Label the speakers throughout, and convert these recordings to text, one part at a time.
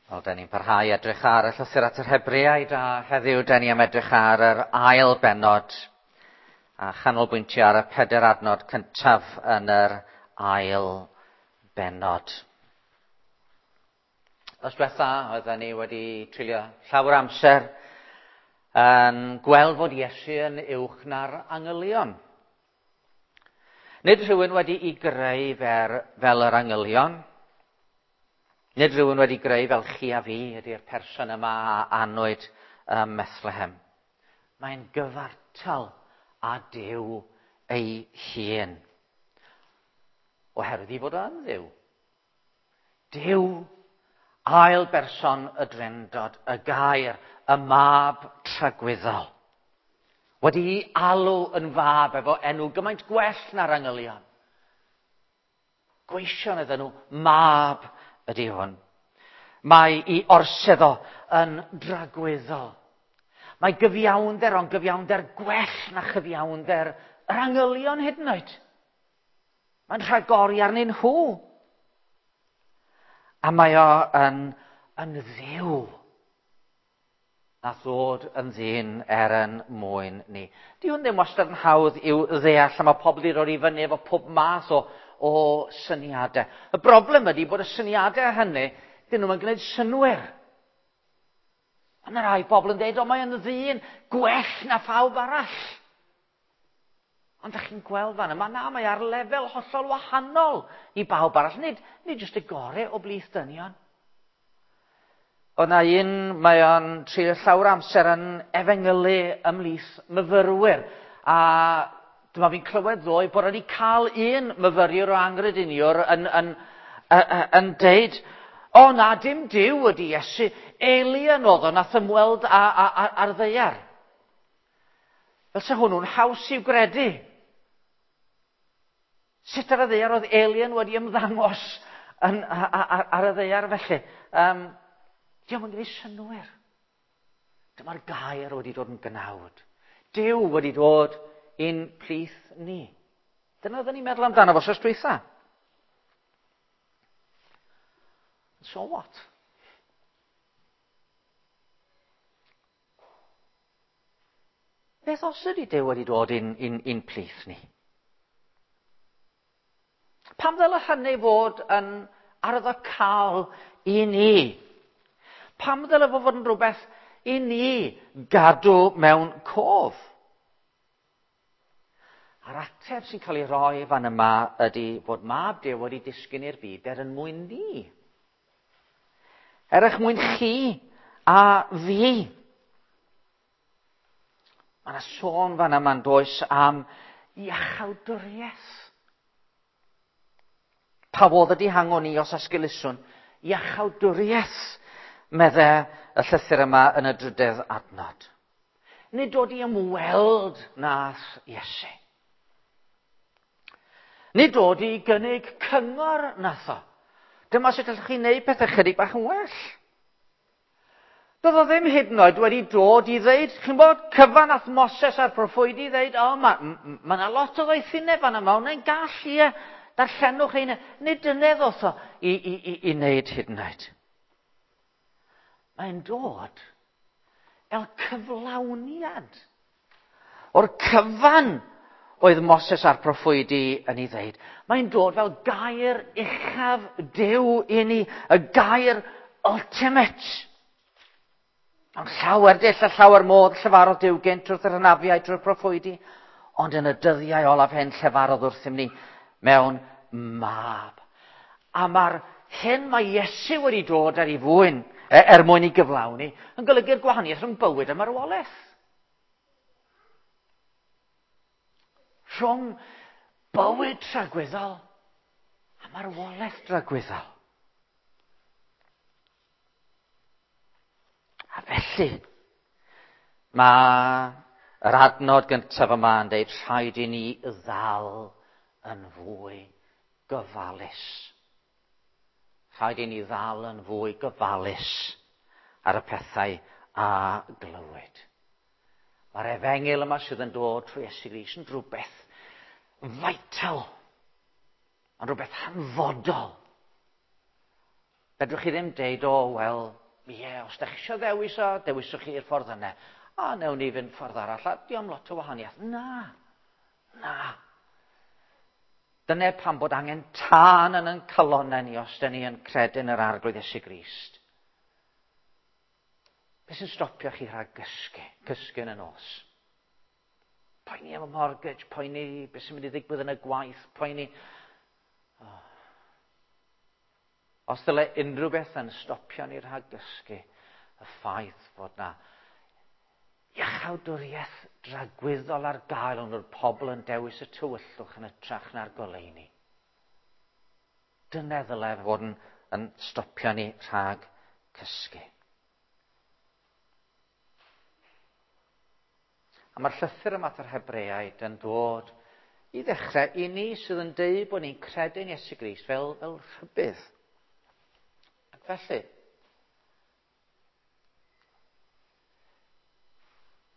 Speaker 1: Wel, da ni'n parhau edrych ar y llythyr at yr Hebreaid a heddiw da ni am edrych ar yr ail bennod a chanolbwyntio ar y peder adnod cyntaf yn yr ail bennod. Os diwetha, oedden ni wedi treulio llawer amser yn gweld fod Iesu yn uwch na'r angylion. Nid rhywun wedi'i greu fer, fel yr angylion, Nid rhywun wedi greu fel chi a fi ydy'r person yma a anwyd ym Methlehem. Mae'n gyfartal â Duw ei hun. Oherwydd i fod o'n Dduw. Duw, ail berson y Drindod, y gair, y mab tragwyddol. Wedi'i alw yn fab efo enw gymaint gwell na'r angylion. Gweision ydyn nhw, mab ydy hwn. Mae i orsedd o yn dragwyddol. Mae gyfiawnder ond gyfiawnder gwell na chyfiawnder yr angylion hyd yn oed. Mae'n rhagori arnyn nhw. A mae o yn, yn ddiw nath ddod yn ddyn er yn mwyn ni. Di hwn ddim wastad yn hawdd i'w ddeall, a mae pobl wedi rhoi i fyny efo pob math o, o syniadau. Y broblem ydy bod y syniadau hynny, dyn nhw'n gwneud synwyr. Mae yna rai bobl yn dweud, o mae yn ddyn gwell na phawb arall. Ond ydych chi'n gweld fan yma, na, mae ar lefel hollol wahanol i bawb arall. Nid, nid jyst y gore o blith dynion. Oedd na un, mae o'n treulio llawer amser yn efengylu ymhlith myfyrwyr. A dyma fi'n clywed ddoe bod wedi cael un myfyriwr o angrediniwr yn, yn, yn, yn deud, o na, dim Duw ydy Iesu, alien oedd o, nath ymweld ar ddeiar. Fel se hwnnw'n haws i'w gredu. Sut ar y ddaear oedd alien wedi ymddangos yn, ar, ar y ddaear felly? Um, Diolch yn gwneud synwyr. Dyma'r gair wedi dod yn gnawd. Duw wedi dod i'n plith ni. Dyna oedden ni'n meddwl amdano fo sos dwytha. So what? Beth os ydy Duw wedi dod i'n, in, in plith ni? Pam ddyle hynny fod yn arwyddocaol i ni? Pam ddyle fo fod yn rhywbeth i ni gadw mewn cof? A'r ateb sy'n cael ei roi fan yma ydy fod mab Duw wedi disgyn i'r byd er yn mwyn ni. Er eich mwyn chi a fi. Mae yna sôn fan yma'n does am iachawdwriaeth. Pa fodd ydy hangon ni os esgeluswn? Iachawdwriaeth, medde y llythyr yma yn y drydedd adnod. Nid dod i ymweld nath Iesu. Nid dod i gynnig cyngor nath o. Dyma sut allwch chi wneud pethau chydig bach yn well. Doedd o ddim hyd yn oed wedi dod i ddeud, chi'n bod, cyfan ath Moses a'r proffwydi ddeud, o, mae ma yna lot o ddoethineb fan yma, hwnna'n gall, ie, darllenwch ein... Nid dyna ddoth o i, i, i, i wneud hyd yn oed. Mae'n dod fel cyflawniad o'r cyfan oedd Moses a'r proffwydi yn ei ddeud. Mae'n dod fel gair uchaf Duw i ni, y gair ultimate. Ond llawer dull a llawer modd llefarodd Duw gynt wrth yr hynafiaid drwy'r proffwydi, ond yn y dyddiau olaf hyn llefarodd wrthym ni mewn mab. A mae'r hyn mae Iesu wedi dod ar ei fwyn, e, er mwyn ei gyflawni, yn golygu'r gwahaniaeth rhwng bywyd a marwolaeth. Rhwng bywyd tragwyddol a marwolaeth dragwyddol. A felly, mae yr adnod gyntaf yma yn dweud rhaid i ni ddal yn fwy gyfalus. Rhaid i ni ddal yn fwy gyfalus ar y pethau a glywyd. Mae'r efengyl yma sydd yn dod trwy Iesu Grist yn rhywbeth vital, yn rhywbeth hanfodol. Fedrwch chi ddim deud, o, wel, Ie, yeah, os da chi eisiau ddewis o, dewiswch chi'r ffordd yna. A newn ni fynd ffordd arall, a diom lot o wahaniaeth. Na, na. Dyna pam bod angen tân yn ein calonnau ni os da ni yn credu yn yr Arglwydd Iesu Grist. Beth sy'n stopio chi rhag gysgu, cysgu yn y nos? Poeni am y mortgage, poeni beth sy'n mynd i ddigwydd yn y gwaith, poeni... Oh. Os dyle unrhyw beth yn stopio ni rhag gysgu, y ffaith fod na iachawdwriaeth dragwyddol ar gael ond oedd pobl yn dewis y tywyllwch yn ytrach na'r goleuni. Dyna ddyle fod yn, yn stopio ni rhag cysgu. A mae'r llythyr yma at yr Hebreaid yn dod i ddechrau i ni sydd yn deud bod ni'n credu'n Iesu Grist fel, fel rhybudd. Ac felly,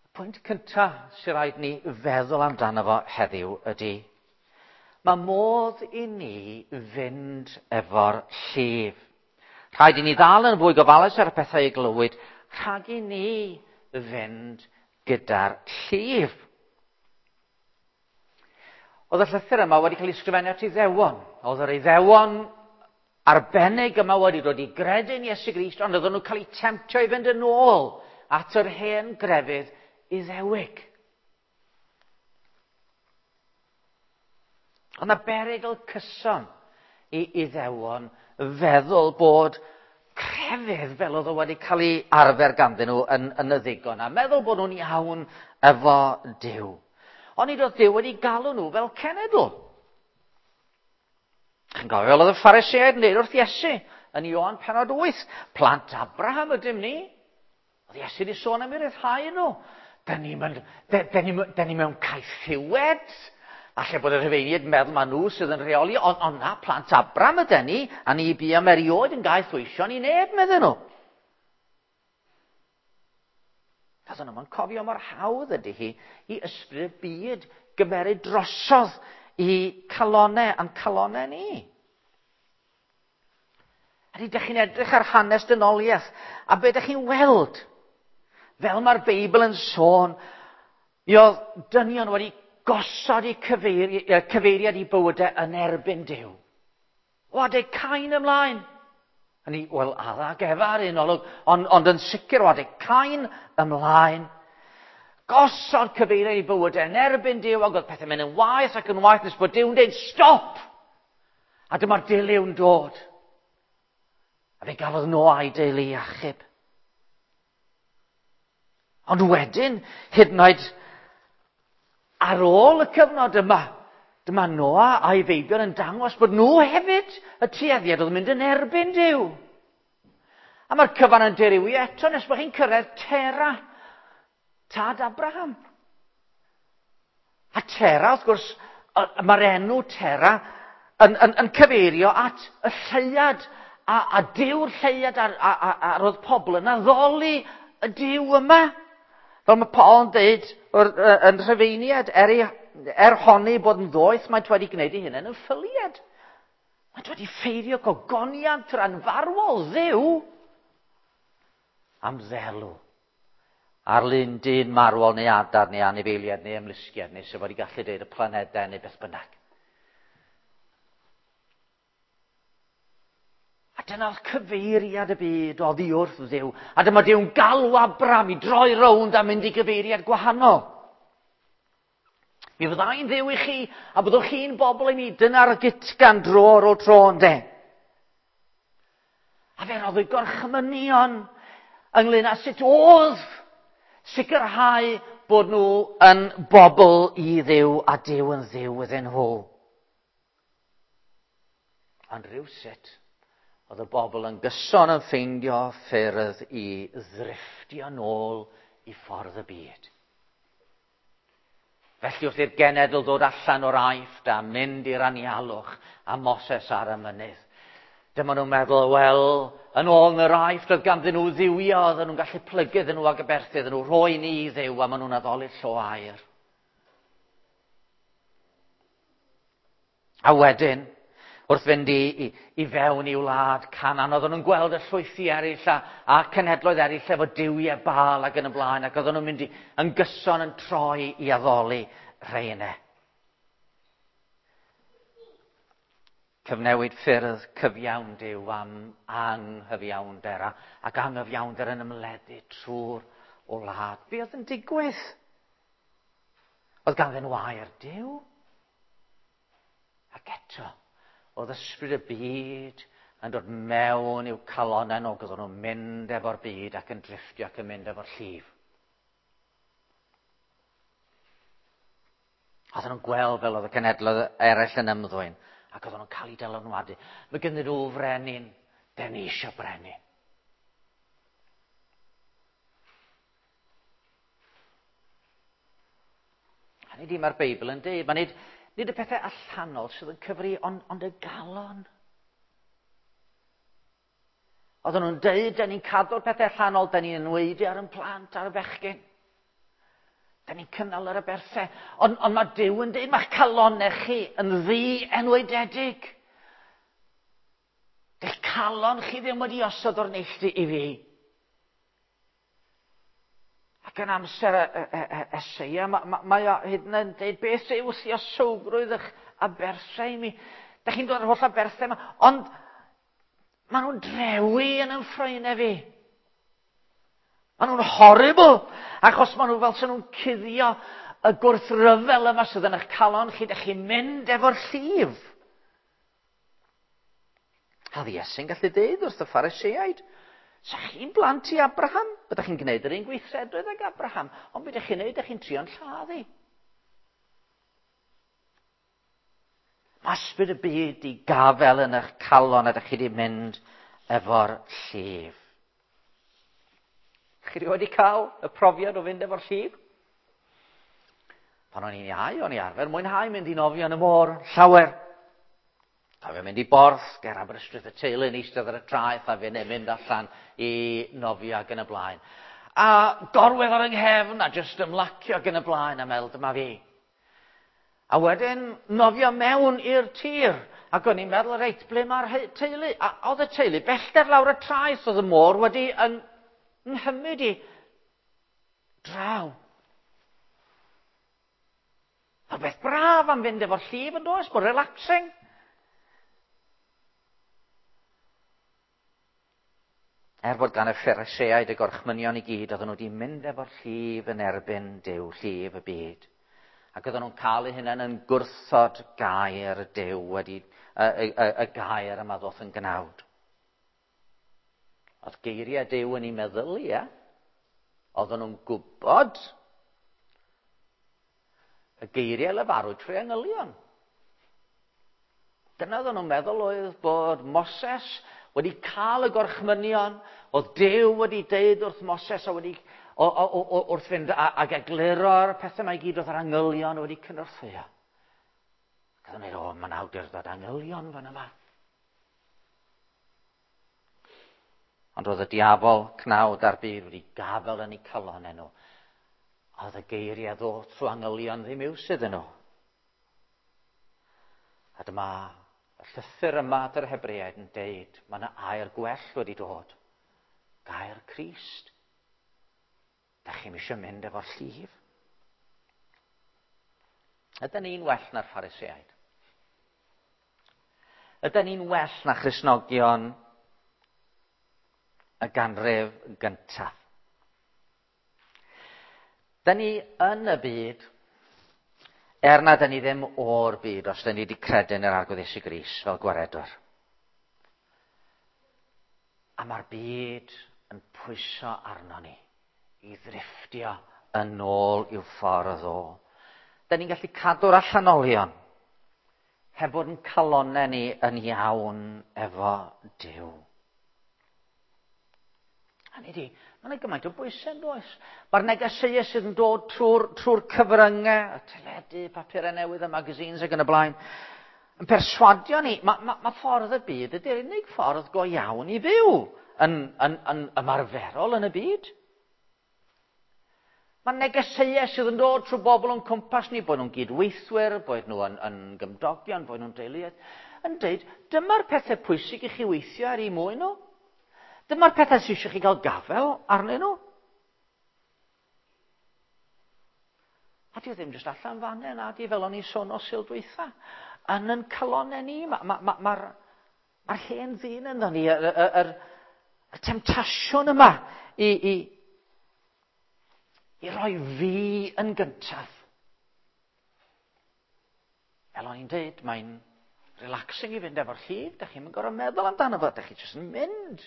Speaker 1: y pwynt cyntaf sy'n rhaid ni feddwl amdano fo heddiw ydy, mae modd i ni fynd efo'r llif. Rhaid i ni ddal yn fwy gofalus ar y pethau i glywyd, rhag i ni fynd gyda'r llif. Oedd y llythyr yma wedi cael ei ysgrifennu at Iddewon. Oedd yr Iddewon arbennig yma wedi dod i gredu'n Iesu Grist, ond oedden nhw'n cael eu temtio i fynd yn ôl at yr hen grefydd Iddewig. Ond na berygl cyson i Iddewon feddwl bod crefydd fel oedd o wedi cael ei arfer ganddyn nhw yn, yn y ddigon, a meddwl bod nhw'n iawn efo Duw. Ond nid oedd Duw wedi galw nhw fel cenedl. Chi'n gofio fel oedd y Phariseaid yn dweud wrth Iesu yn Ioan penod 8, plant Abraham ydym ni. Oedd Iesu wedi sôn am ei ryddhau nhw. Dyn ni, ni, ni mewn caethiwed. Alle bod y Rhufeiniaid yn meddwl ma nhw sydd yn rheoli, ond on na, plant Abram ydyn ni, a ni bu am erioed yn gaeth weision i neb, medden nhw. Doedden nhw'n cofio mor hawdd ydy hi i ysbryd y byd gymeryd drosodd i calonau a'n calonau ni. A ydych chi'n edrych ar hanes dynoliaeth, a be ydych chi'n weld? Fel mae'r Beibl yn sôn, mi oedd dynion wedi gosod eu cyfeiri, cyfeiriad i bywydau yn erbyn Duw. O adeg Cain ymlaen. Hynny, wel, Adda ac Efa ar un olwg, ond, ond yn sicr o adeg Cain ymlaen. Gosod cyfeiriad i bywydau yn erbyn Duw, ac oedd pethau'n mynd yn waeth ac yn waeth nes bod Duw'n dweud, stop! A dyma'r dilyw'n dod. A fe gafodd Noa a'i deulu i achub. Ond wedyn, hyd yn oed ar ôl y cyfnod yma, dyma Noa a'i feibion yn dangos bod nhw hefyd y tueddiad oedd yn mynd yn erbyn Duw. A mae'r cyfan yn dirywio eto nes bod chi'n cyrraedd Tera, tad Abraham. A Tera, wrth gwrs, mae'r enw Tera yn, yn, yn cyfeirio at y lleuad a, a Duw'r lleuad a, a, a, a roedd pobl yn addoli y Duw yma. Fel mae Paul yn dweud yn Rhufeiniad, er, ei, er honni bod yn ddoeth, maent wedi gwneud ei hunain yn ffyliad. Maent wedi ffeirio gogoniant yr anfarwol Dduw am ddelw. Ar lun dyn marwol neu adar neu anifeiliad neu ymlusgiad neu sef wedi gallu dweud y planedau neu beth bynnag. A dyna oedd cyfeiriad y byd oddi wrth Dduw. A dyma Duw'n galw Abram i droi rownd a mynd i gyfeiriad gwahanol. Mi fyddai'n Dduw i chi, a byddwch chi'n bobl i mi. Dyna'r gytgan dro ar ôl tro, ynde? A fe roddwyd gorchmynion ynglyn â sut oedd sicrhau bod nhw yn bobl i Dduw a Duw yn Dduw iddyn nhw. Ond rhywsut, oedd y bobl yn gyson yn ffeindio ffyrdd i ddrifftio nôl i ffordd y byd. Felly wrth i'r genedl ddod allan o'r Aifft a mynd i'r anialwch a Moses ar y mynydd, dyma nhw'n meddwl, wel, yn ôl yn yr Aifft oedd ganddyn nhw dduwiau, oedden nhw'n gallu plygu iddyn nhw ac aberthu iddyn nhw, rhoi ni i Dduw, a maen nhw'n addoli'r llo aur. A wedyn, Wrth fynd i, i, i fewn i wlad Canan, oedden nhw'n gweld y llwythi eraill a, a cenhedloedd eraill efo duwiau Baal ac yn y blaen, ac oedden nhw'n mynd i, yn gyson yn troi i addoli rheine. Cyfnewid ffyrdd cyfiawn Duw am anghyfiawnder a, ac anghyfiawnder yn ymledu trwy'r wlad. Be oedd yn digwydd? Oedd ganddyn nhw air Duw? Ac eto, oedd ysbryd y byd yn dod mewn i'w calonnau nhw, oedden nhw'n mynd efo'r byd ac yn drifftio ac yn mynd efo'r llif. Oedden nhw'n gweld fel oedd y cenhedloedd eraill yn ymddwyn, ac oedden nhw'n cael eu dylanwadu. Mae gynddyn nhw frenin, den ni eisiau brenin. Hynny di, mae'r Beibl yn dweud, mae nid, nid y pethau allanol sydd yn cyfri, ond, ond y galon. Oedden nhw'n dweud, da ni'n cadw'r pethau allanol, da ni'n enwaedu ar yn plant, ar y bechgyn. Da ni'n cynnal yr aberthau. Ond, ond mae Duw yn dweud, mae'ch calonau chi yn ddi enwaededig. Dych calon chi ddim wedi osod o'r neilltu i fi. Ac yn amser Eseia, mae, mae, mae o hyd yn oed yn dweud, beth yw lluosowgrwydd eich aberthau i mi? Da chi'n dod ar holl aberthau yma, ond maen nhw'n drewi yn yn ffroenau fi. Maen nhw'n horrible, achos maen nhw fel sy'n nhw'n cuddio y gwrthryfel yma sydd yn eich calon chi, da chi'n mynd efo'r llif. A oedd Iesu'n gallu deud wrth y Phariseaid, sa chi'n blant i Abraham? Byddech chi'n gwneud yr un gweithredoedd ag Abraham, ond beth ydych chi'n gwneud? Ydych chi'n trio'n lladd i. Mae ysbryd y byd i gafel yn eich calon a ydych chi wedi mynd efo'r llif. Chi wedi cael y profiad o fynd efo'r llif? Pan o'n i'n iau, o'n i arfer mwynhau mynd i nofio yn y môr, llawer. Cofio mynd i Borth, ger Aberystwyth y teulu yn eistedd ar y traeth a fi'n mynd allan i nofio ac yn y blaen. A gorwedd ar yng nghefn a jyst ymlacio ac yn y blaen a meddwl dyma fi. A wedyn nofio mewn i'r tir. Ac o'n i'n meddwl, reit, ble mae'r teulu? A oedd y teulu bellter lawr y traeth, oedd y môr wedi yn nghymryd i draw. A beth braf am fynd efo'r llif yn does, bod relaxing. Er bod gan y Phariseaid y gorchmynion i gyd, oedden nhw wedi mynd efo'r llif yn erbyn Duw, llif y byd. Ac oedden nhw'n cael eu hunain yn gwrthod gair Duw wedi, y, y, y, y gair yma ddoth yn gnawd. Oedd geiriau Duw yn ei meddyliau. Oedden nhw'n gwybod y geiriau lefarwyd trwy angylion. Dyna oedden nhw'n meddwl oedd bod Moses wedi cael y gorchmynion, oedd Duw wedi deud wrth Moses a wedi o, o, o, wrth fynd ag egluro'r pethau mae gyd oedd yr angylion wedi cynorthwyo. Ac oedden nhw'n dweud, o, mae'n awdurdod angylion fan yma. Ond roedd y diafol cnawd a'r byd wedi gafel yn eu calonau nhw. A oedd y geiriau ddod trwy angylion ddim iws iddyn nhw. A dyma y llythyr yma at yr Hebreaid yn deud, mae yna air gwell wedi dod. Gair Crist. Da chi'n eisiau mynd efo'r llif? Ydyn ni'n well na'r Phariseaid? Ydyn ni'n well na Christnogion y ganrif gyntaf? Dyn ni yn y byd, er na dyn ni ddim o'r byd os dyn ni wedi credu yn yr Arglwydd Iesu Grist fel gwaredwr. A mae'r byd yn pwyso arno ni i ddrifftio yn ôl i'w ffordd o. Da ni'n gallu cadw'r allanolion heb fod yn calonau ni yn iawn efo Duw. Hynny di, mae yna gymaint o bwysau yn does. Mae'r negeseuau sydd yn dod trwy'r trwy cyfryngau, y teledu, papurau newydd, y magazines ac yn y blaen, yn perswadio ni, mae, mae, mae ffordd y byd ydy'r unig ffordd go iawn i fyw yn, yn, yn ymarferol yn y byd. Mae negeseuau sydd yn dod trwy bobl o'n cwmpas ni, bod nhw'n gydweithwyr, bod nhw yn, yn gymdogion, bod nhw'n deuluoedd, yn dweud, dyma'r pethau pwysig i chi weithio ar eu mwyn nhw. Dyma'r pethau sydd eisiau chi gael gafel arnyn nhw. A di o ddim jyst allan fan hyn, a di fel o'n i sôn o sil dwytha. Yn yn calonau ni, mae'r ma, ma, ma, ma hen ddyn ynddo ni, y, y, y, y temtasiwn yma i, i, i roi fi yn gyntaf. Fel o'n i'n dweud, mae'n relaxing i fynd efo'r llif, da chi'n gorfod meddwl amdano fo, da chi jyst yn mynd.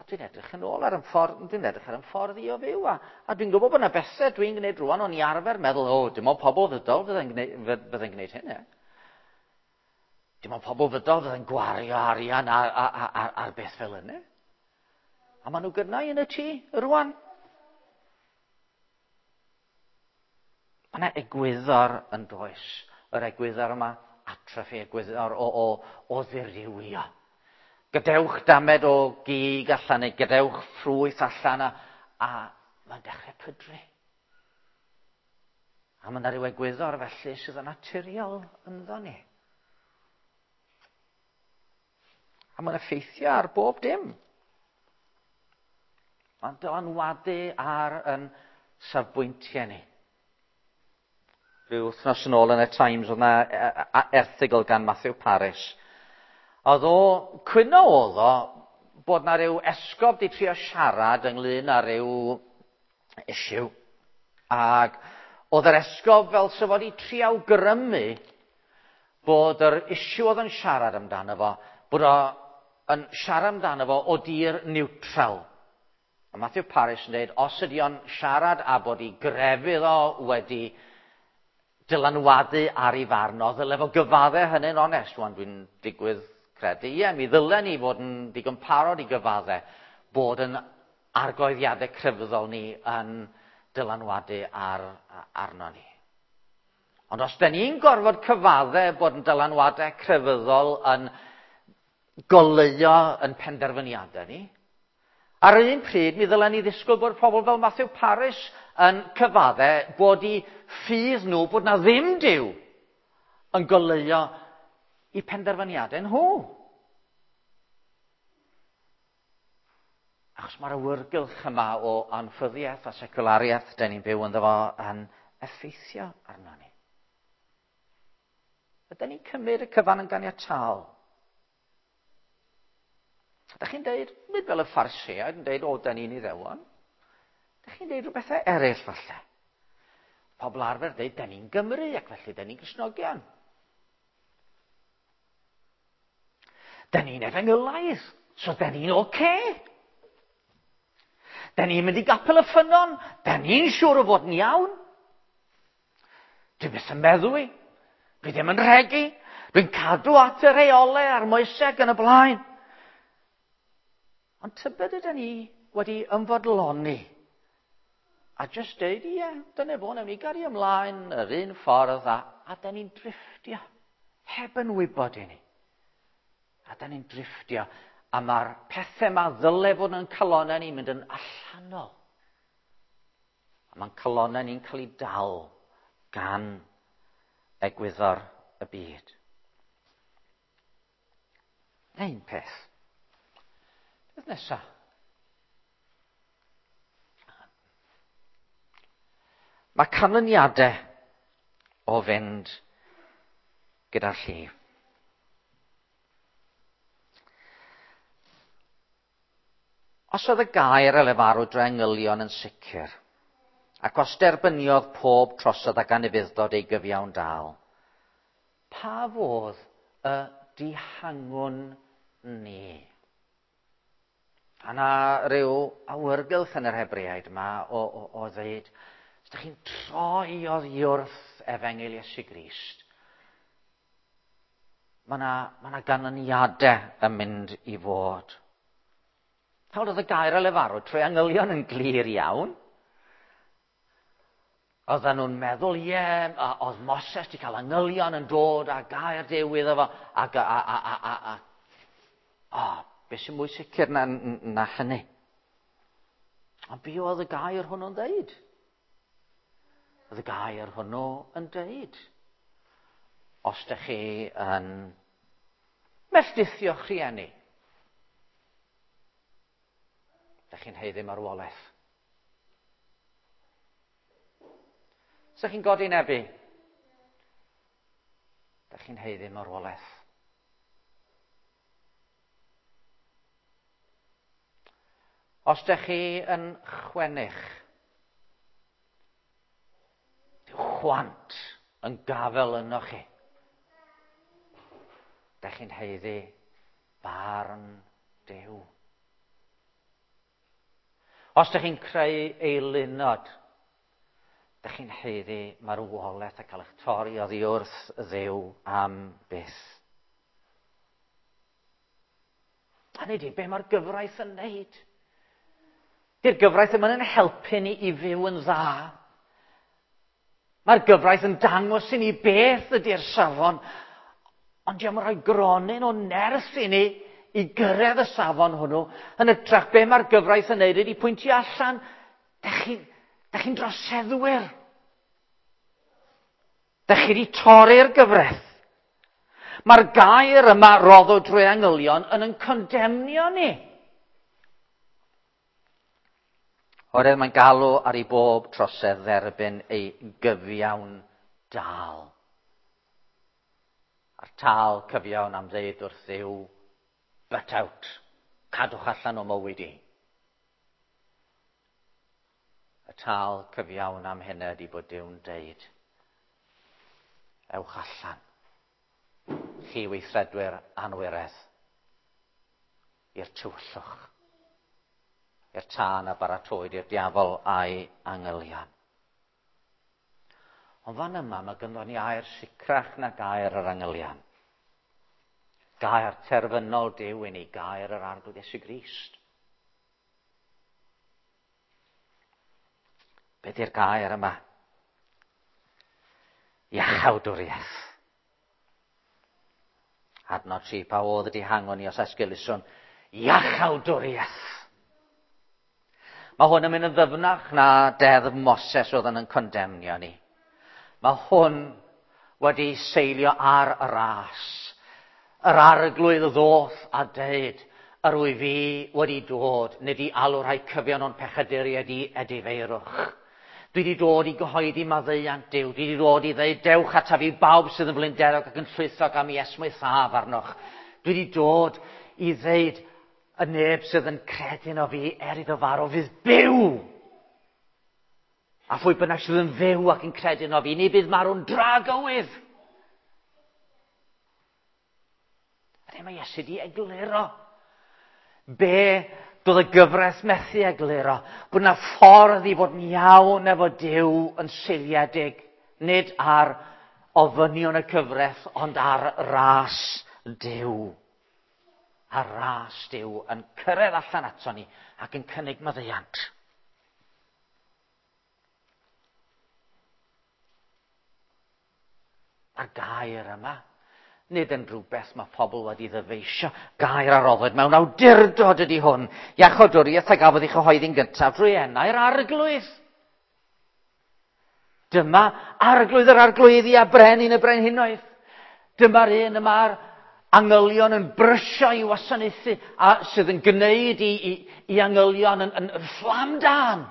Speaker 1: A dwi'n edrych yn ôl ar yn ffordd, dwi'n edrych ar yn ffordd i o fyw, a, a dwi'n gwybod bod yna bethau dwi'n gwneud rwan, o'n i arfer meddwl, o, dim ond pobl fydol fydde'n gwneud, fydde'n gwneud hyn, e. Dim ond pobl fydol fydde'n gwario arian ar, ar, ar, ar beth fel yna. A maen nhw gynnau yn y tŷ rwan. Mae yna egwyddor yn does. Yr egwyddor yma, atrophy, egwyddor o, o, o ddirywio. Gadewch damed o gig allan neu gadewch ffrwyth allan a, a mae'n dechrau pydru. A mae yna rhyw egwyddor felly sydd yn naturiol ynddo ni. A mae'n effeithio ar bob dim. Mae'n dylanwadu ar yn safbwyntiau ni. Rhyw wythnos yn ôl yn y Times oedd yna erthygl gan Matthew Parris. Oedd o, cwyno oedd o, bod na rhyw esgob di trio siarad ynglyn â rhyw issue. Ac oedd yr esgob fel sef wedi trio awgrymu bod yr issue oedd yn siarad amdano fo, bod o yn siarad amdano fo o dir neutral. A Matthew Parris yn dweud, os ydy o'n siarad a bod ei grefydd o wedi dylanwadu ar ei farn o, ddyle fo gyfadde hynny'n onest. Wan dwi'n digwydd credu, ie, mi ddylen ni fod yn digon parod i gyfadde bod yn argoeddiadau crefyddol ni yn dylanwadu ar, arno ni. Ond os da ni'n gorfod cyfadde bod yn dylanwadau crefyddol yn goleuo yn penderfyniadau ni, Ar yr un pryd, mi ddylen ni ddisgwyl bod pobl fel Matthew Parris yn cyfadde bod i ffydd nhw bod na ddim Duw yn goleuo i penderfyniadau nhw. Achos mae'r awyrgylch yma o anffyddiaeth a seculariaeth dyn ni'n byw ynddo fo yn effeithio arno ni. Ydyn ni'n cymryd y cyfan yn ganiataol? Ydych chi'n deud, nid fel y Phariseaid yn deud, o, da ni'n iddewon. Ydych chi'n deud rhywbethau eraill falle? Pobl arfer deud, da ni'n Gymru ac felly da ni'n Gristnogion. Da ni'n efengylaidd, so da ni'n oce. Okay. Da ni'n mynd i gapel y ffynnon, da ni'n siŵr o fod yn iawn. Dwi byth yn meddwi. Dwi ddim yn rhegi. Dwi'n cadw at y rheolau a'r moeseg yn y blaen. Ond tybed ydyn ni wedi ymfodloni a jyst deud, ie, dyna fo, newn ni gario ymlaen yr un ffordd a, a da ni'n drifftio, heb yn wybod i ni. A da ni'n drifftio, a mae'r pethau yma ddyle fod yn calonau ni'n mynd yn allanol. A mae'n calonau ni'n cael ei dal gan egwyddor y byd. Un peth. Beth nesaf? Mae canlyniadau o fynd gyda'r llif. Os oedd y gair a lefaru drwy angylion yn sicr, ac os derbyniodd pob trosedd ac anufudd-dod ei gyfiawn dal, pa fodd y dihangwn ni? A na rhyw awyrgylch yn yr Hebreaid yma o, o, o ddeud, os ydych chi'n troi oddi wrth efengyl Iesu Grist, mae yna ma, na ganlyniadau yn mynd i fod. Nawr oedd y gair a lefaru trwy angylion yn glir iawn. Oedden nhw'n meddwl, ie, yeah, oedd Moses wedi cael angylion yn dod a gair Duw iddo fo, ac a, a, a, a, a, a, beth sy'n mwy sicr na, na hynny? Ond be oedd y gair hwnnw'n dweud? Oedd y gair hwnnw yn dweud, os ydych chi yn melldithio'ch rhieni, ydych chi'n haeddu marwolaeth. Os ydych chi'n godi nebu, ydych chi'n haeddu marwolaeth. Os ydych chi yn chwennych, dyw chwant yn gafel yno chi. Dych chi'n haeddu barn Duw. Os ydych chi'n creu eilunod, dych chi'n haeddu marwolaeth a cael eich torri oddi wrth Dduw am byth. Hynny ydy, be mae'r gyfraith yn neud? Di'r gyfraith ddim yn helpu ni i fyw yn dda. Mae'r gyfraith yn dangos i ni beth ydy'r safon, ond diolch yn rhoi gronyn o nerth i ni i gyrraedd y safon hwnnw. Yn ytrach, be mae'r gyfraith yn neud ydy pwyntio allan, dych chi'n chi droseddwyr. Dych chi wedi torri'r gyfraith. Mae'r gair yma roddwyd drwy angylion yn yn condemnio ni. Oherwydd mae'n galw ar i bob trosedd dderbyn ei gyfiawn dal. A'r tal cyfiawn am ddeud wrth Dduw, butt out, cadwch allan o mywyd i. Y tal cyfiawn am hynna ydy bod Duw'n deud, ewch allan, chi weithredwyr anwiredd, i'r tywyllwch, i'r tân a baratowyd i'r diafol a'i angylion. Ond fan yma mae gynddon ni air sicrach na gair yr angylion. Gair terfynol Duw i ni, gair yr Arglwydd Iesu Grist. Be di'r gair yma? Iachawdwriaeth. Adnod 3, pa oedd y dihangon ni os esgeluswn? Iachawdwriaeth. Mae hwn yn mynd yn ddyfnach na deddf Moses oedd yn condemnio ni. Mae hwn wedi seilio ar y ras. Yr arglwydd ddoth a deud, yr wyf fi wedi dod, nid i alw rhai cyfion o'n pechaduriaid i edifeirwch. Dwi wedi dod i gyhoeddi maddeuant Duw. Dwi wedi dod i ddeud, dewch ataf i bawb sydd yn flinderog ac yn llwythog am i esmwythaf arnoch. Dwi wedi dod i ddeud, y neb sydd yn credu yno fi er iddo farw fydd byw. A phwy bynnag sydd yn fyw ac yn credu yno fi, ni bydd marw'n dragywydd. A mae Iesu di egluro be doedd y gyfraith methu egluro, bod yna ffordd i fod yn iawn efo Duw yn seiliedig, nid ar ofynion y cyfraith, ond ar ras Duw. A ras Duw yn cyrraedd allan ato ni ac yn cynnig maddeuant. Mae'r gair yma, nid yn rhywbeth mae pobl wedi ddyfeisio, gair a roddwyd mewn awdurdod ydy hwn. Iachawdwriaeth a gafodd ei chyhoeddi'n gyntaf drwy enau'r arglwydd. Dyma arglwydd yr arglwyddi a brenin y brenhinoedd. Dyma'r un y mae'r angylion yn brysio i wasanaethu a sydd yn gwneud i, i, i angylion yn, yn, yn fflam dan.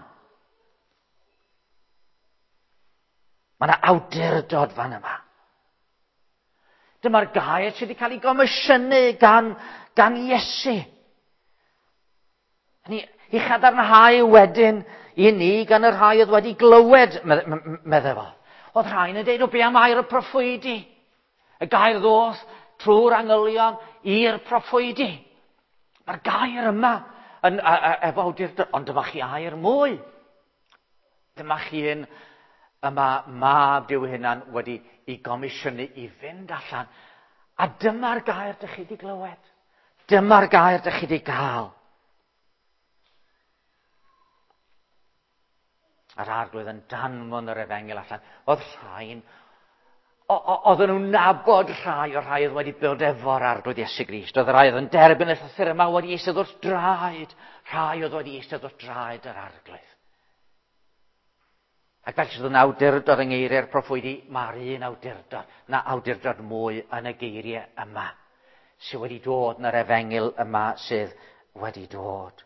Speaker 1: Mae yna awdurdod fan yma. Dyma'r gair sydd wedi cael ei gomisiynu gan, gan Iesu. Ni, i chadarnhau wedyn i ni gan y rhai oedd wedi glywed, meddai fo. Oedd rhai'n yn deud, o be am air y proffwydi? Y gair ddoth trwy'r angylion i'r proffwydi. Mae'r gair yma yn, a, a, efo awdurdod, ond dyma chi air mwy. Dyma chi un yma mab Duw hunan wedi i gomisiynu i fynd allan. A dyma'r gair dych chi wedi glywed. Dyma'r gair dych chi wedi gael. A'r arglwydd yn danfon yr efengyl allan. Oedd rhain, Oedden nhw'n nabod rhai o'r rhai oedd wedi bod efo'r Arglwydd Iesu Grist. Oedd y rhai oedd yn derbyn y llythyr yma wedi eistedd wrth draed. Rhai oedd wedi eistedd wrth draed yr Arglwydd. Ac felly sydd yn awdurdod yng ngeiriau'r proffwydi, mae'r un awdurdod, na awdurdod mwy yn y geiriau yma, sydd wedi dod yn yr efengyl yma sydd wedi dod.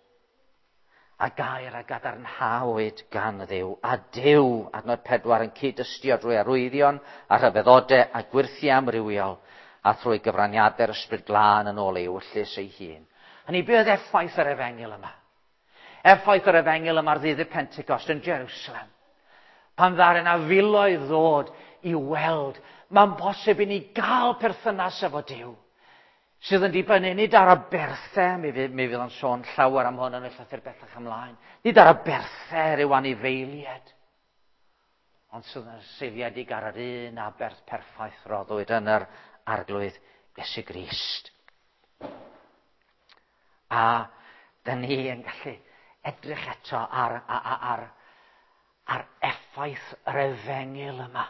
Speaker 1: A gair a gadarnhawyd gan Dduw, a Duw, adnod 4, yn cyd-dystio drwy arwyddion a rhyfeddodau a gwyrthiau amrywiol, a thrwy gyfraniadau'r Ysbryd Glân yn ôl ei ewyllys ei hun. Hynny, be oedd effaith yr efengyl yma? Effaith yr efengyl yma ar ddydd y Pentecost yn Jerusalem. Pan ddaru yna filoedd ddod i weld, mae'n bosib i ni gael perthynas efo Duw, sydd yn dibynnu nid ar aberthau, mi fydd, mi fydd o'n sôn llawer am hwn yn y llythyr bellach ymlaen, nid ar aberthau rhyw anifeiliaid, ond sydd yn seiliedig ar yr un aberth perffaith roddwyd yn yr Arglwydd Iesu Grist. A dyn ni yn gallu edrych eto ar, ar, ar, ar effaith yr efengyl yma.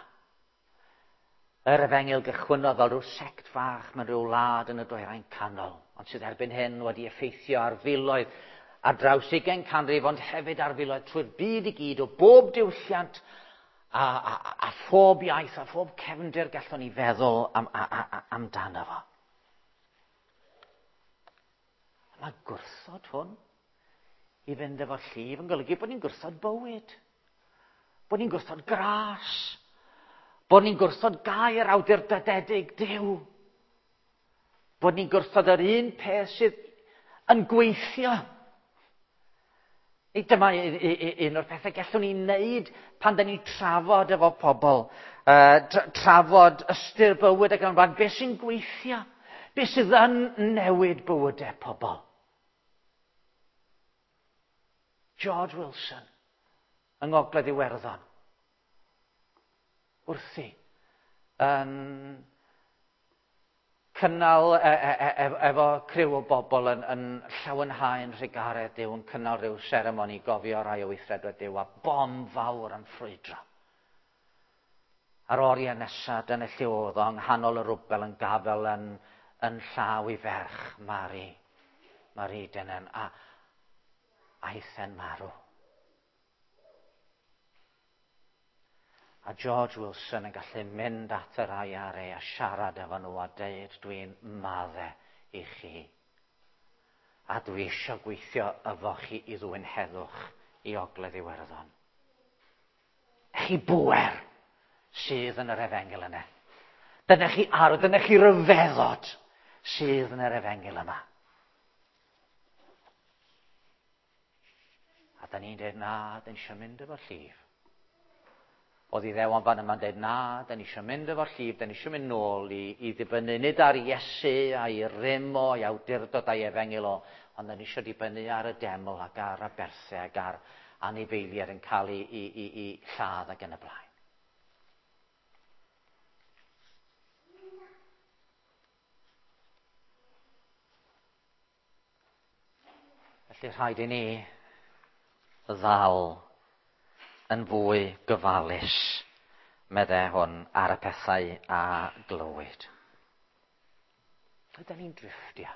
Speaker 1: Yr efengyl gychwynnodd fel rhyw sect fach mewn rhyw wlad yn y dwyrain canol, ond sydd erbyn hyn wedi effeithio ar filoedd ar draws 20 canrif, ond hefyd ar filoedd trwy'r byd i gyd o bob diwylliant a, a, a phob iaith a phob cefndir gallwn ni feddwl am, a, a, amdano fo. Mae gwrthod hwn i fynd efo'r llif yn golygu bod ni'n gwrthod bywyd, bod ni'n gwrthod gras, bod ni'n gwrthod gair awdurdodedig Duw, bod ni'n gwrthod yr un peth sydd yn gweithio. Dyma un o'r pethau gallwn ni wneud pan da ni'n trafod efo pobl, trafod ystyr bywyd ac yn blaen, beth sy'n gweithio, beth sydd yn newid bywydau pobl. George Wilson, yng Ngogledd Iwerddon, wrthi yn cynnal e, e, e, e, efo criw o bobl yn, yn llawenhau'n rhugaredd Duw, yn cynnal rhyw seremoni gofio rai o weithredwyr Duw a bom fawr yn ffrwydro. A'r oriau nesaf, dyna lle oedd o, yng nghanol y rwbel yn gafel yn, yn llaw i ferch Mari, Mari Denen, a aeth e'n marw. A George Wilson yn gallu mynd at yr IRA a siarad efo nhw a deud dwi'n madde i chi. A dwi eisiau gweithio efo chi i ddwyn heddwch i Ogledd Iwerddon. Chi bwer sydd yn yr efengyl yna. Dyna chi arw, dyna chi ryfeddod sydd yn yr efengyl yma. A da ni'n dweud, na, da ni eisiau mynd efo'r llif. Oedd Iddewon fan yma'n dweud, na, da ni eisiau mynd efo'r llif, da ni eisiau mynd nôl i, i ddibynnu nid ar Iesu a'i rym o, a'i awdurdod a'i efengyl o, ond da ni eisiau dibynnu ar y deml ac ar aberthau ac ar anifeiliaid yn cael ei, i, i, i lladd ac yn y blaen. Felly rhaid i ni ddal yn fwy gyfalus, meddai hwn, ar y pethau a glywyd. Ydyn ni'n drifftio.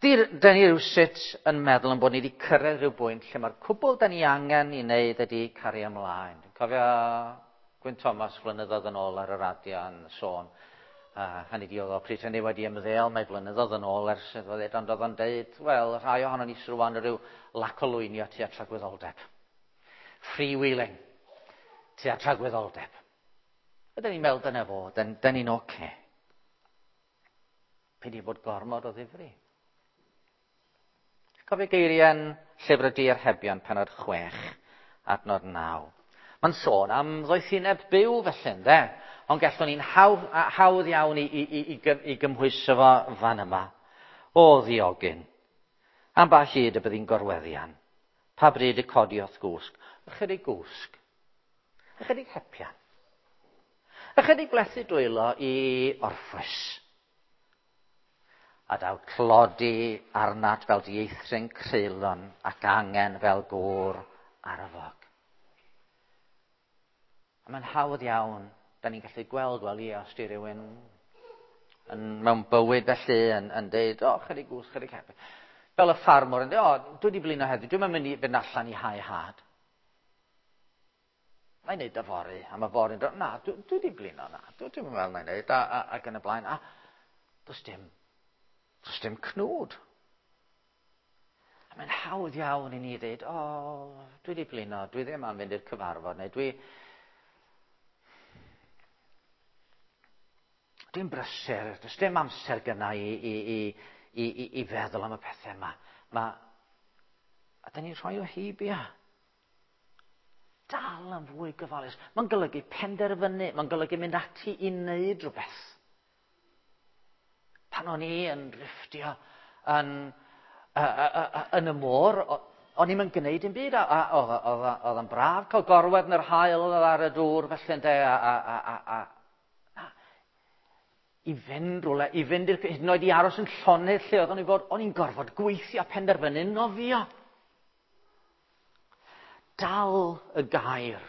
Speaker 1: Dyn ni rywsut yn meddwl yn bod ni wedi cyrraedd rhyw bwynt lle mae'r cwbl da ni angen i wneud ydy cario ymlaen. Dwi'n cofio Gwyn Thomas flynyddoedd yn ôl ar y radio yn sôn. Hynny di oedd o pryd hynny wedi ymddeol, mae blynyddoedd yn ôl ers iddo ddeud, ond oedd o'n deud, wel, rhai ohono ni sydd rwan rhyw lac o lwynio tua tragwyddoldeb. Freewheeling tua tragwyddoldeb. Ydyn ni'n meddwl dyna fo, dyn, dyn ni'n oce. Okay. Peidio bod gormod o ddifri. Cofio geiriau'n llyfr y Diarhebion, penod 6, adnod 9. Mae'n sôn am ddoethineb byw felly, ynde? Ond gallwn ni'n hawdd, hawdd iawn i, i, i, i, i gymhwyso fo fan yma. O ddiogyn, am ba hyd y byddi'n gorweddian? Pa bryd y codi o'th gwsg? Ychydig gwsg. Ychydig hepian. Ychydig blethu dwylo i orffwys. A daw tlodi arnat fel dieithryn creulon ac angen fel gŵr arfog. A mae'n hawdd iawn, da ni'n gallu gweld, wel ie, os di rhywun yn, mewn bywyd felly yn, yn deud, o, chydig gwsg, chydig heb. Fel y ffarmwr yn dweud, o, dwi wedi blino heddiw, dwi'n mynd i fynd allan i hau had. Na i wneud yfory, a mae fory'n dod, na, dwi, dwi wedi blino, na, dwi, dwi'n meddwl na i wneud, a, a, ac yn y blaen. A does dim, does dim cnwd. A mae'n hawdd iawn i ni ddweud, o, oh, dwi wedi blino, dwi ddim am fynd i'r cyfarfod, neu dwi, Dwi'n brysur, does dim amser gyna i, i, i, i, i, i feddwl am y pethau yma. Ma, a da ni'n rhoi o heibio. Dal yn fwy gyfalus. Mae'n golygu penderfynu, mae'n golygu mynd ati i wneud rhywbeth. Pan o'n i yn drifftio yn, yn y môr, o'n i'm yn gwneud dim byd, a oedd yn braf cael gorwedd yn yr haul ar y dŵr felly ynde, a, a, a, a, a i fynd rhywle, i fynd i'r, hyd yn oed i aros yn llonydd lle oeddwn i fod, o'n i'n gorfod gweithio a penderfynu nofio. Dal y gair.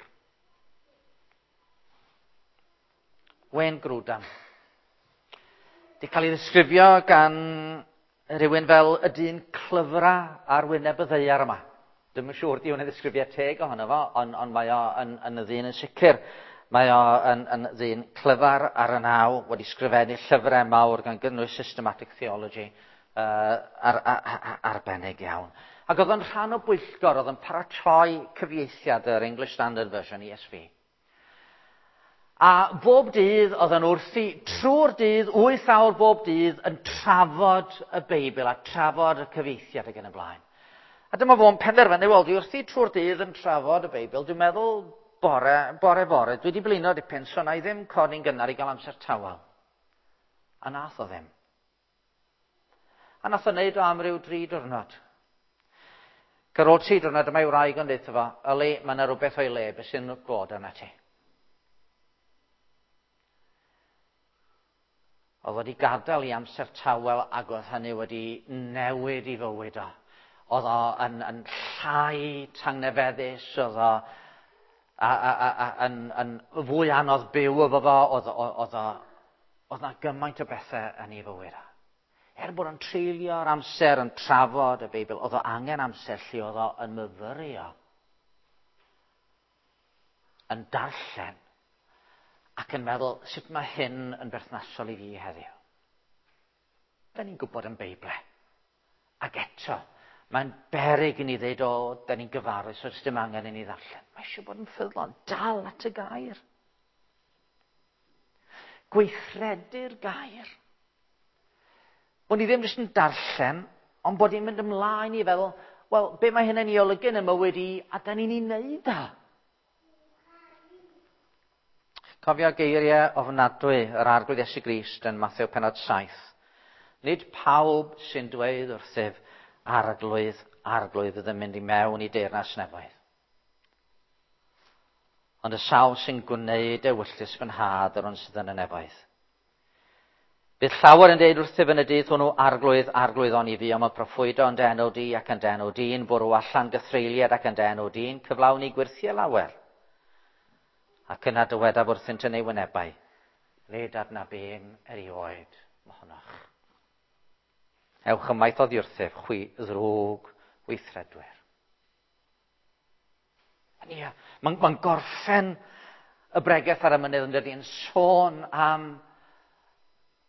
Speaker 1: Wayne Grudem. Di cael ei ddisgrifio gan rhywun fel y dyn clyfra ar wyneb y ddaear yma. Dwi'm yn siŵr di hwn yn ddisgrifiad teg ohono fo, ond, ond mae o yn, yn y ddyn yn sicr. Mae o yn, yn ddyn clyfar ar y naw, wedi sgrifennu llyfrau mawr gan gynnwys Systematic Theology ar, ar, ar, arbennig iawn. Ac oedd o'n rhan o bwyllgor, oedd yn paratoi cyfieithiad yr English Standard Version, ESV. A bob dydd oedd yn wrthi, trwy'r dydd, 8 awr bob dydd, yn trafod y Beibl a trafod y cyfieithiad ac yn y blaen. A dyma fo'n penderfynu, wel, dwi wrthi trwy'r dydd yn trafod y Beibl, dwi'n meddwl bore, bore fore, dwi wedi blino dipyn, so na i ddim codi'n gynnar i gael amser tawel. A nath o ddim. A nath o wneud o am ryw dri diwrnod. Ac ar ôl tri diwrnod, dyma ei wraig yn deutha fo, yli, mae yna rhywbeth o'i le, beth sy'n bod arna ti? Oedd wedi gadael i amser tawel ac oedd hynny wedi newid i fywyd o. Oedd o yn, yn llai tangnefeddus, oedd o a, a, a, a, yn, yn fwy anodd byw efo fo, oedd, oedd, oedd, na gymaint o bethau yn ei fywyd o. Er bod o'n treulio'r amser yn trafod y Beibl, oedd o angen amser lle oedd o yn myfyrio, yn darllen, ac yn meddwl, sut mae hyn yn berthnasol i fi heddiw? Da ni'n gwybod yn Beibl. Ac eto, mae'n beryg i ni ddweud, o, da ni'n gyfarwydd, so dim angen i ni ddarllen. Mae eisiau bod yn ffyddlon, dal at y gair. Gweithredu'r gair. Bod ni ddim jyst yn darllen, ond bod ni'n mynd ymlaen i feddwl, wel, be mae hyn yn ei olygu yn y mywyd i, a da ni'n ei wneud o. Cofio geiriau ofnadwy yr Arglwydd Iesu Grist yn Mathew penod 7. Nid pawb sy'n dweud wrthyf arglwydd, arglwydd fydd yn mynd i mewn i deyrnas nefoedd. Ond y sawl sy'n gwneud ewyllys fy nhad yr un sydd yn y nefoedd. Bydd llawer yn deud wrthyf yn y dydd hwnnw, arglwydd, arglwydd o'n i fi, ond mae proffwydo yn dy enw di ac yn dy enw di'n bwrw allan gythreuliad ac yn dy enw di'n cyflawni gwyrthiau lawer. Ac yna dywedaf wrthynt yn ei wynebau, nid adnabûm erioed mohonoch. Ewch ymaith oddi wrthyf, chwi ddrwg weithredwyr. Ia, mae'n ma gorffen y bregeth ar y mynydd yn dydy yn sôn am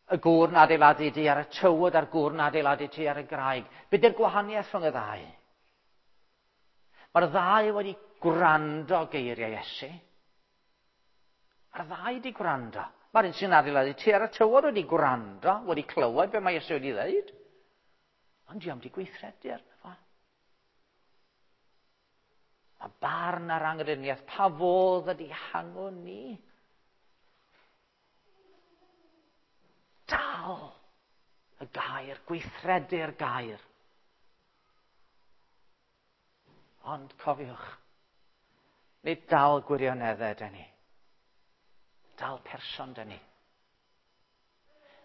Speaker 1: y gŵr yn adeiladu ti ar y tywod a'r gŵr yn adeiladu ti ar y graig. Be di'r gwahaniaeth rhwng y ddau? Mae'r ddau wedi gwrando geiriau Iesu. Mae'r ddau wedi gwrando. Mae'r un sy'n adeiladu ti ar y tywod wedi gwrando, wedi clywed be mae Iesu wedi dweud. Ond di wedi gweithredu arno fo. Mae barn ar angreniaeth, pa fodd ydi hangwn ni? Dal y gair, gweithredu'r gair. Ond cofiwch, nid dal gwirioneddau dyn ni. Dal person dyn ni.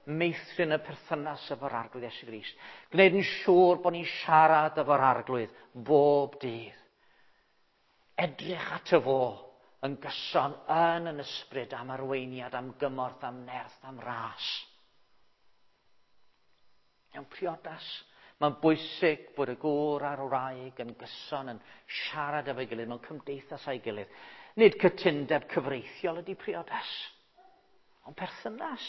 Speaker 1: Meithrin y perthynas efo'r Arglwydd Iesu Grist. Gwneud yn siŵr bod ni'n siarad efo'r Arglwydd bob dydd. Edrych at y fo yn gyson yn yn ysbryd am arweiniad, am gymorth, am nerth, am ras. Mewn priodas, mae'n bwysig bod y gŵr a'r wraig yn gyson yn siarad efo'i gilydd mewn cymdeithas â'i gilydd. Nid cytundeb cyfreithiol ydy priodas, ond perthynas.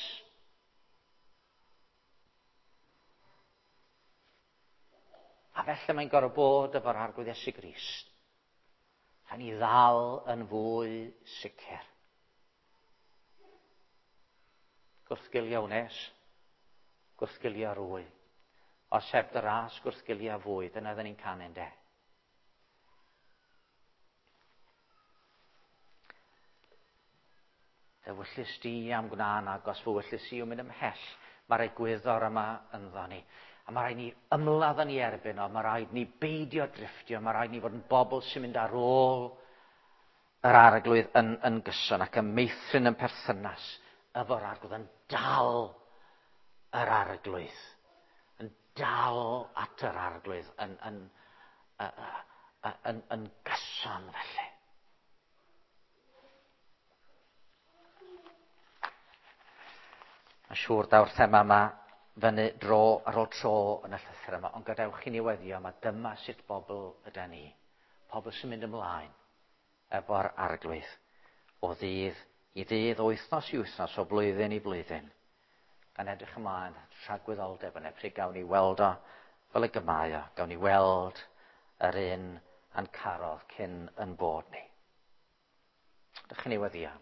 Speaker 1: A felly mae'n gorfod bod efo'r Arglwydd Iesu Grist. Rhaid ni ddal yn fwy sicr. Gwrthgilio wnes, gwrthgilio rwy. Os heb dy ras, gwrthgilio fwy. Dyna ddyn ni'n canu, de. Dy wyllys di am gwna'n agos, fy wyllys i yw mynd ymhell. Mae'r egwyddor yma ynddo ni. A mae rhaid ni ymladd yn ei erbyn o, mae rhaid ni beidio drifftio, mae rhaid ni fod yn bobl sy'n mynd ar ôl yr Arglwydd yn, yn gyson ac yn meithrin yn perthynas efo'r Arglwydd, yn dal yr Arglwydd, yn dal at yr Arglwydd yn, yn, yn, yn, yn gyson felly. Mae'n siŵr daw'r thema yma fyny dro ar ôl tro yn y llythyr yma, ond gadewch i ni weddio yma, dyma sut bobl yda ni. Pobl sy'n mynd ymlaen efo'r Arglwydd o ddydd i ddydd, o wythnos i wythnos, o blwyddyn i blwyddyn. Gan edrych ymlaen at rhagwyddoldeb yna, pryd gawn ni weld o fel y gymau o, gawn ni weld yr un a'n carodd cyn yn bod ni. Dych chi'n ei weddio.